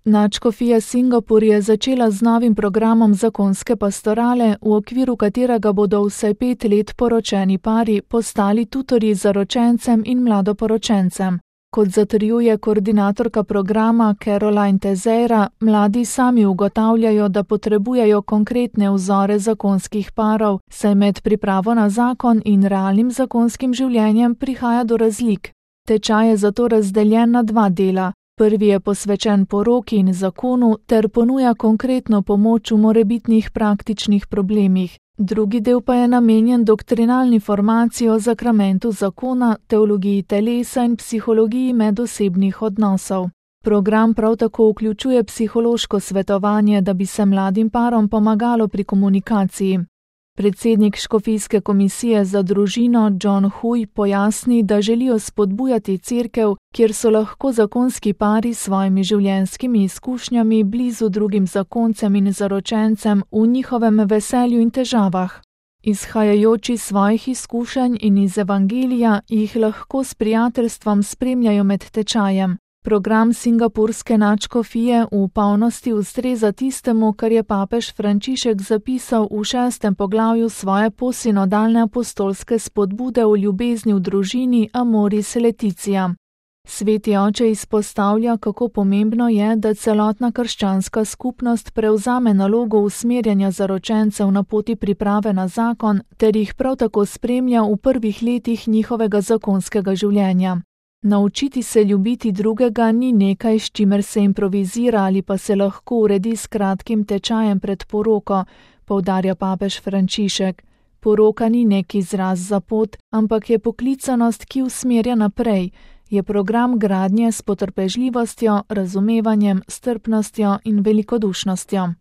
Nadškofija Singapur je začela z novim programom zakonske pastorale, v okviru katerega bodo vsaj 5 let poročeni pari postali tutorji zaročencem in mladoporočencem. Kot zatrjuje koordinatorka programa Caroline Tezeira, mladi sami ugotavljajo, da potrebujejo konkretne vzore zakonskih parov, saj med pripravo na zakon in realnim zakonskim življenjem prihaja do razlik. Tečaj je zato razdeljen na 2 dela. Prvi je posvečen poroki in zakonu ter ponuja konkretno pomoč v morebitnih praktičnih problemih. Drugi del pa je namenjen doktrinalni formaciji o zakramentu zakona, teologiji telesa in psihologiji medosebnih odnosov. Program prav tako vključuje psihološko svetovanje, da bi se mladim parom pomagalo pri komunikaciji. Predsednik Škofijske komisije za družino John Hui pojasni, da želijo spodbujati cerkev, kjer so lahko zakonski pari s svojimi življenjskimi izkušnjami blizu drugim zakoncem in zaročencem v njihovem veselju in težavah. Izhajajoč iz svojih izkušenj in iz evangelija jih lahko s prijateljstvom spremljajo med tečajem. Program singapurske nadškofije v polnosti ustreza tistemu, kar je papež Frančišek zapisal v 6. poglavju svoje posinodalne apostolske spodbude o ljubezni v družini Amoris Laetitia. Sveti oče izpostavlja, kako pomembno je, da celotna krščanska skupnost prevzame nalogo usmerjanja zaročencev na poti priprave na zakon ter jih prav tako spremlja v prvih letih njihovega zakonskega življenja. Naučiti se ljubiti drugega ni nekaj, s čimer se improvizira ali pa se lahko uredi s kratkim tečajem pred poroko, poudarja papež Frančišek. Poroka ni nek izraz za pot, ampak je poklicanost, ki usmerja naprej, je program gradnje s potrpežljivostjo, razumevanjem, strpnostjo in velikodušnostjo.